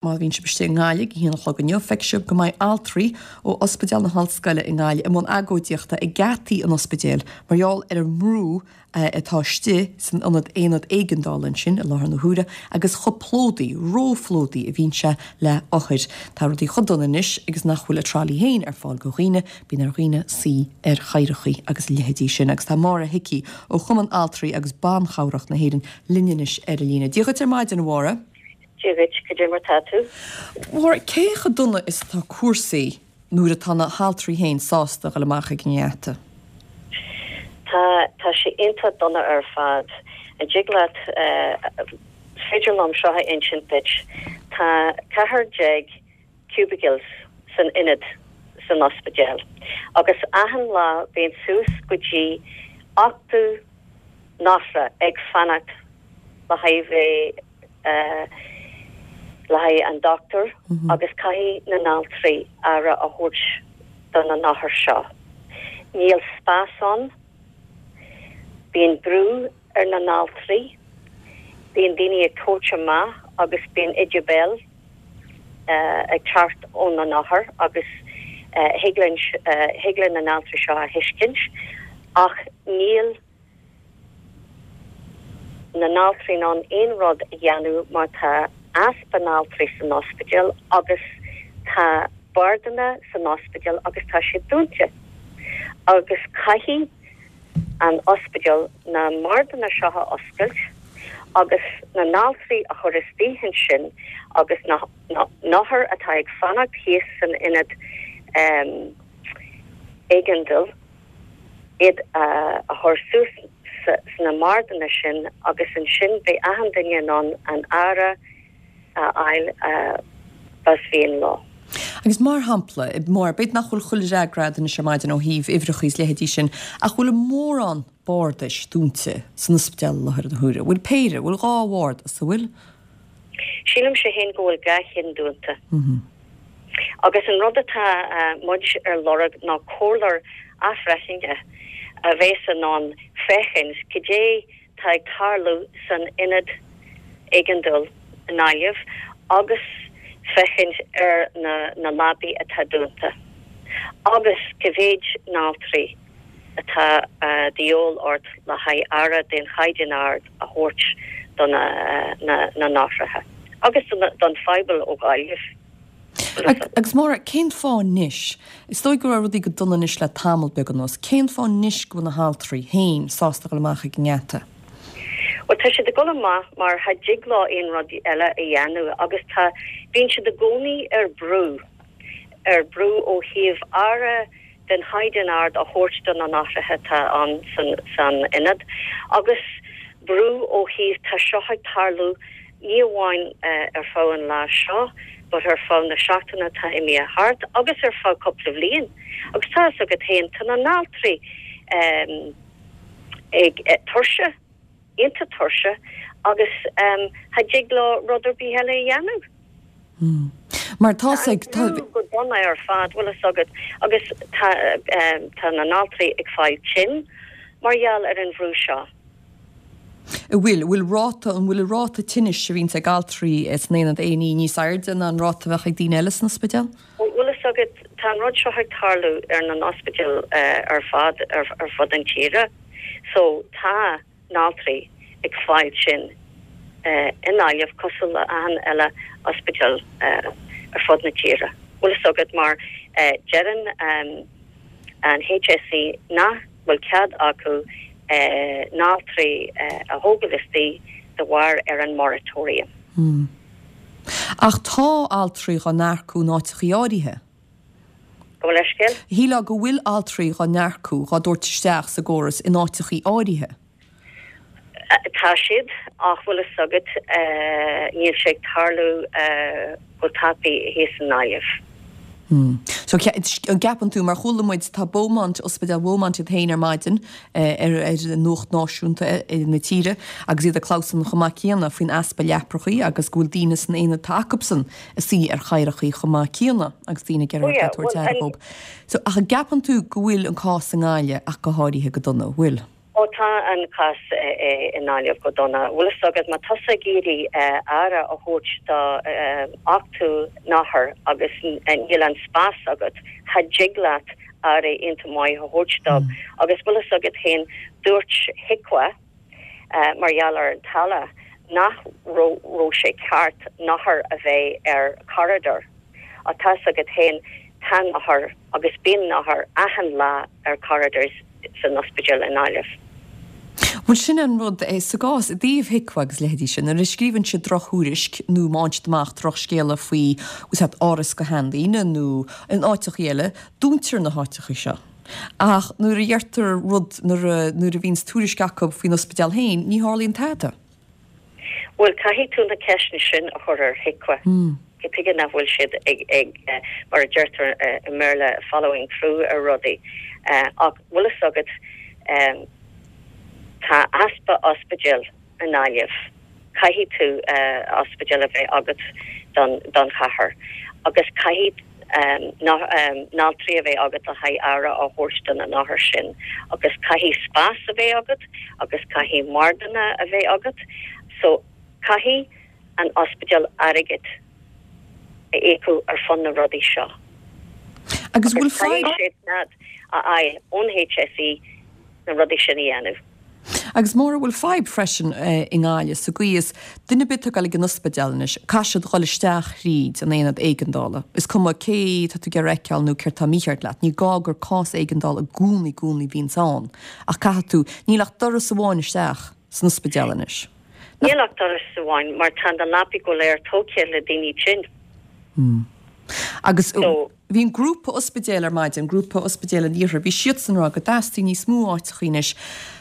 Má bhíonn sibh istigh i nGaillimh ag a haon a chlog inniu, feicfidh sibh go mbeidh altraí ó Ospidéal na hOllscoile i nGaillimh i mbun agóidíochta ag geataí an ospidéil mar gheall ar an mbrú atá istigh san ionad aonad éigeandála ansin i láthair na huaire agus chomh plódaí, róphlódaí a bhíonn sé le othair. Tá rudaí chomh dona anois agus nach bhfuil a trolley féin ar fáil do dhaoine, bíonn ar dhaoine suí ar chathaoireachaí agus a leithéidí sin. Agus tá Máire Hickey ó Chumann Altraí agus Ban Chabhrach na hÉireann linn anois ar an líne. Dia dhuit ar maidin, a Mháire. Dia dhuit, cad é mar tá tú? Máire, cé chomh dona is atá cúrsaí nuair atá na haltraí féin sásta a dhul amach ag an ngeata? Tá, tá sé iontach dona ar fad. An dtig leat, is féidir liom seo a insint duit, tá 14 cubicles san ionad san ospidéal agus achan lá bíonn suas go dtí 80 n-othar ag fanacht le haghaidh bheith le haghaidh an dochtúir agus caithfidh na n-altraí aire a thabhairt do na n-othair seo. Níl spás ann, bíonn brú ar na n-altraí, bíonn daoine ag tabhairt amach agus bíonn ídiú béil ag teacht ó na n-othair agus thig linn, thig linn na n-altraí seo a thuiscint ach níl na n-altraí in ann aon rud a dhéanamh mar tá easpa n-altraí san ospidéal agus tá bardanna san ospidéal agus tá siad dúnta agus caithfidh an ospidéal na mbardanna seo a oscailt agus na n-altraí a chur istigh ansin agus na n-othair atá ag fanacht thíos san ionad éigeandáil iad a chur suas sna mbardanna sin agus ansin beidh achan duine in ann an aire a fháil b'as mhian leo. Agus mar shampla, mar, b'fhéidir nach bhfuil chuile fhreagra agat anois ar maidin ó thaobh uimhreacha is leithéidí sin, ach bhfuil mórán bardais dúnta san ospidéal i láthair na huaire? Bhfuil péire, bhfuil dhá bhardas, an bhfuil? Sílimse féin go bhfuil dhá cheann dúnta. Agus an rud atá muid ar lorg ná comhairleoir athbhreithnithe a bheas in ann féachaint cad é tá ag tarlú san ionad éigeandáil i nGaillimh agus féachaint ar na leabaí atá dúnta agus cá mhéid n-altraí atá de dhíobháil ort le haghaidh aire den chaighdeán ard a thabhairt do na n-othraithe agus don phobal ó Ghaillimh. Agus Máire, cén fáth anois, is dóigh go raibh rudaí go dona anois le tamall beag anuas, cén fáth anois go bhfuil na haltraí féin sásta dhul amach ag an ngeata? Bhuel, tá siad ag dul amach mar cha dtig leo aon rud eile a dhéanamh agus tá, bíonn siad i gcónaí ar brú, ar brú ó thaobh aire den chaighdeán ard a thabhairt do na n-othraithe atá ann san ionad agus brú ó thaobh tá seo ag tarlú ní amháin ar feadh an lá seo but ar feadh na seachtaine atá imithe thart agus ar feadh cúpla bhliain agus tá fhios agat féin tá na n-altraí ag tuirse iontach tuirseach agus cha dtig leo rud ar bith eile a dhéanamh. Mar tá sé ag. Tá an brú go dona ar fad, bhfuil fhios agat, agus tá tá na n-altraí ag fáil tinn mar gheall ar an bhrú seo. An bhfuil, bhfuil ráta, an bhfuil an ráta tinnis a bhíonns ag altraí san aonad A&E níos airde ná an ráta a bheadh ag daoine eile san ospidéal? Bhfuil fhios agat, tá an rud seo ag tarlú ar na n-ospidéil ar fad ar fud an tíre. So tá n-altraí ag fáil tinn i nGaillimh cosúil le achan eile ospidéal ar fud na tíre. Bhfuil fhios agat mar deireann an HSE nach bhfuil cead acu n-altraí a thógáil istigh de bharr ar an moratorium. Ach tá altraí dhá n-earcú in áiteachaí áirithe. Gabh mo leithscéal. Shílfeá go bhfuil altraí dhá n-earcú, dhá dtabhairt isteach sa gcóras in áiteachaí áirithe. Tá siad, ach bhfuil fhios agat, níl sé ag tarlú go tapaidh thíos i nGaillimh. So, an gceapann tú, mar chuala muid, tá Beaumont, Ospidéal Bheaumont iad féin ar maidin ar nuacht náisiúnta na tíre agus iad ag clamhsán chomh maith céanna faoin easpa leaprachaí agus go bhfuil daoine san aonad atá acubsan ag suí ar chathaoireachaí chomh maith céanna agus daoine ag iarraidh ag tabhairt aire dhóibh. So, ach an gceapann tú go bhfuil an cás i nGaillimh ach go háirithe go dona, bhfuil? Ó tá an cás i nGaillimh go dona. Bhfuil fhios agat, má tá tusa ag iarraidh aire a thabhairt do 80 n-othar agus níl an spás agat, cha dtig leat aire iontach maith a thabhairt dóibh. Agus bhfuil fhios agat féin, dúirt HIQA, mar gheall ar an Tallaght, nach raibh sé ceart n-othair a bheith ar corridor. Ach tá fhios agat féin, tá n-othair agus bíonn n-othair achan lá ar corridors san ospidéal i nGaillimh. Bhuel, sin an rud é sa gcás i dtaobh HIQA agus leithéidí sin, nuair a scríobhann siad drochthuairisc nó má fhaigheann siad amach drochscéala faoi áras do sheandaoine nó in áiteachaí eile, dúntar na háiteachaí seo. Ach nuair a dheirtear rud, nuair a, nuair a bhíonns tuairisc acu faoin ospidéal féin, ní tharlaíonn tada. Bhuel, caithfidh tú na ceisteanna sin a chur ar HIQA. Cad tuige nach bhfuil siad ag, ag, mar a deirtear i mBéarla, following through ar rudaí. Ach bhfuil fhios agat, tá easpa ospidéal i nGaillimh. Caithfidh tú ospidéal a bheith agat don chathair agus caithfidh n-altraí a bheith agat le haghaidh aire a thabhairt do na n-othair sin agus caithfidh spás a bheith agat agus caithfidh wardanna a bheith agat. So caithfidh an ospidéal airgead a íocadh ar fud na rudaí seo. Agus bhfuil fadhb. Caithfidh siad a fháil ón HSE na rudaí sin a dhéanamh. Agus Máire, bhfuil fadhb freisin i nGaillimh sa gcaoi is, duine ar bith atá ag dul ag an ospidéal anois, caithfidh siad dhul isteach thríd an aonad éigeandála. Is cuma cé tá tú ag iarraidh a fheiceáil nó céard tá mícheart leat, ní gá gur cás éigeandála i gcónaí, gcónaí bhíonns ann. Ach caithfidh tú, níl ach doras amháin isteach san ospidéal anois. Níl ach doras amháin mar tá na leapaí go léir tógtha le daoine tinn. Agus. Bhí an grúpa ospidéal ar maidin, Grúpa Ospidéal an Iarthair, bhí siadsan ag rá go dteastaíonn níos mó áiteachaí anois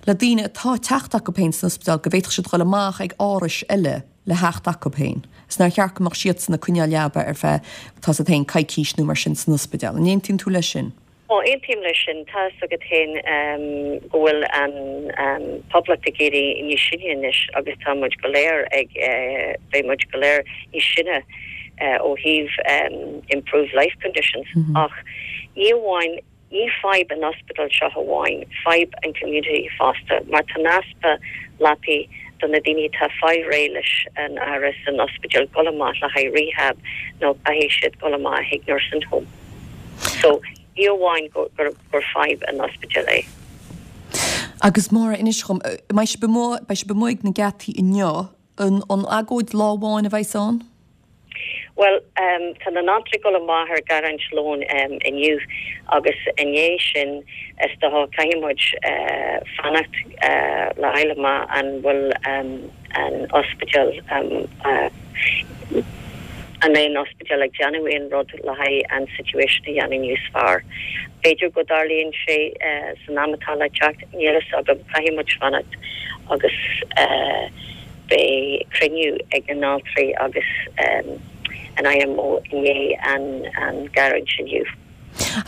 le daoine atá ag teacht acu féin san ospidéal go bhféadfadh siad dhul amach ag árais eile le theacht acu féin. Is nár cheart go mbeadh siadsan ag coinneáil leaba ar feadh, tá 's agat féin, coicís nó mar sin san ospidéal. An aontaíonn tú leis sin? Ó, aontaím leis sin. Tá 'fhios agat féin go bhfuil an poblacht ag éirí níos sine anois agus tá muid go léir ag, beidh muid go léir níos sine ó thaobh improved life conditions. Ach ní amháin, ní fadhb an ospidéal seo amháin, fadhb an community fosta mar tá an easpa leapaí do na daoine atá ag fáil réidh leis an aire san ospidéal dul amach le haghaidh rehab nó caithfidh siad dul amach chuig nursing home. So, ní amháin gur fadhb an ospidéal é. Agus Máire, inis dhom, mbeidh sibh amuigh, beidh sibh amuigh ag na geataí inniu, an agóid lá amháin a bheas ann? Bhuel, tá na n-altraí ag dul amach ar garraint lóin inniu agus i ndiaidh sin is dócha caithfidh muid fanacht le fháil amach an bhfuil an ospidéal, an mbeidh an ospidéal ag déanamh aon rud le haghaidh an situation a dhéanamh níos fearr. B'fhéidir go dtarlaíonn sé san am atá le teacht, níl fhios agam, caithfidh muid fanacht agus beidh cruinniú ag na n-altraí agus an IMO i ndiaidh an gearúint inniu.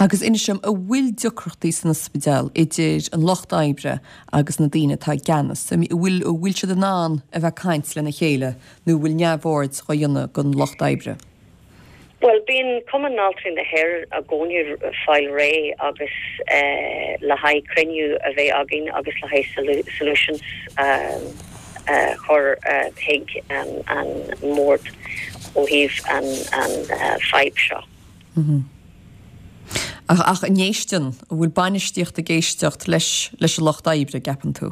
Agus inis dom, an bhfuil deacrachtaí san ospidéal idir an lucht oibre agus na daoine atá i gceannas? An bhfuil, an bhfuil siad in ann a bheith ag caint lena chéile nó an bhfuil neamhaird dhá dhéanamh den lucht oibre? Bhuel, bíonn Cumann Altraí na hÉireann i gcónaí ag fáil réidh agus le haghaidh cruinniú a bheith againn agus le haghaidh solutions a chur chuig an mbord ó thaobh an fadhb seo. Ach an éisteann, an bhfuil bainistíocht ag éisteacht leis leis an lucht oibre, an gceapann tú?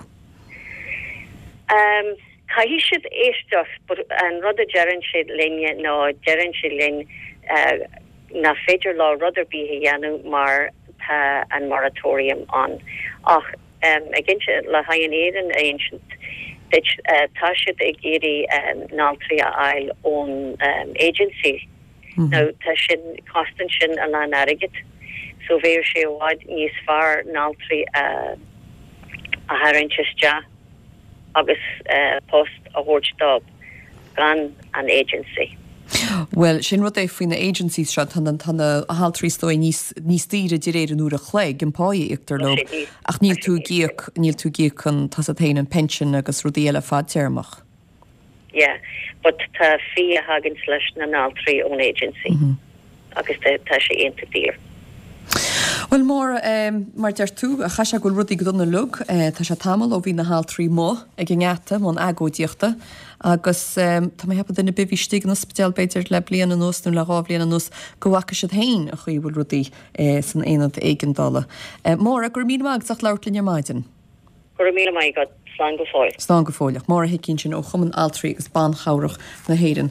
Caithfidh siad éisteacht but an rud a deireann siad linne ná deireann siad linn nach féidir leo rud ar bith a dhéanamh mar tá an moratorium ann. Ach ag insint, le haghaidh an fhírinne a insint duit, tá siad ag iarraidh n-altraí a fháil ón agency. Now tá sin, cosnaíonn sin a lán airgid so bheadh sé i bhfad níos fearr n-altraí a tharraingt isteach agus post a thabhairt dóibh gan an agency. Bhuel, sin rud é faoi na agencies seo, tá na, tá na haltraí is dóigh níos, níos daoire de réir an uair a chloig, an pá a íoctar leo, ach níl tú ag íoc, níl tú ag íoc an, tá 's agat féin, an pension agus rudaí eile fadtéarmach. Yeah, but tá fee a thaganns leis na n-altraí ón agency agus tá sé iontach daor. Bhuel, Máire, mar a deir tú, chaithfeadh sé go bhfuil rudaí go dona uilig. Tá sé tamall ó bhí na haltraí amuigh ag an ngeata i mbun agóidíochta agus tá mé ag ceapadh duine ar bith a bhí istigh in ospidéal b'fhéidir le bliain anuas nó le dhá bhliain anuas go bhfaca siad féin an chaoi a bhfuil rudaí san aonad éigeandála. Máire, go raibh míle maith agat as ucht labhairt linn ar maidin. Go raibh míle maith agat. Slán go fóill. Slán go fóilleach. Máire Hickey ansin ó Chumann Altraí agus Ban Chabhrach na hÉireann.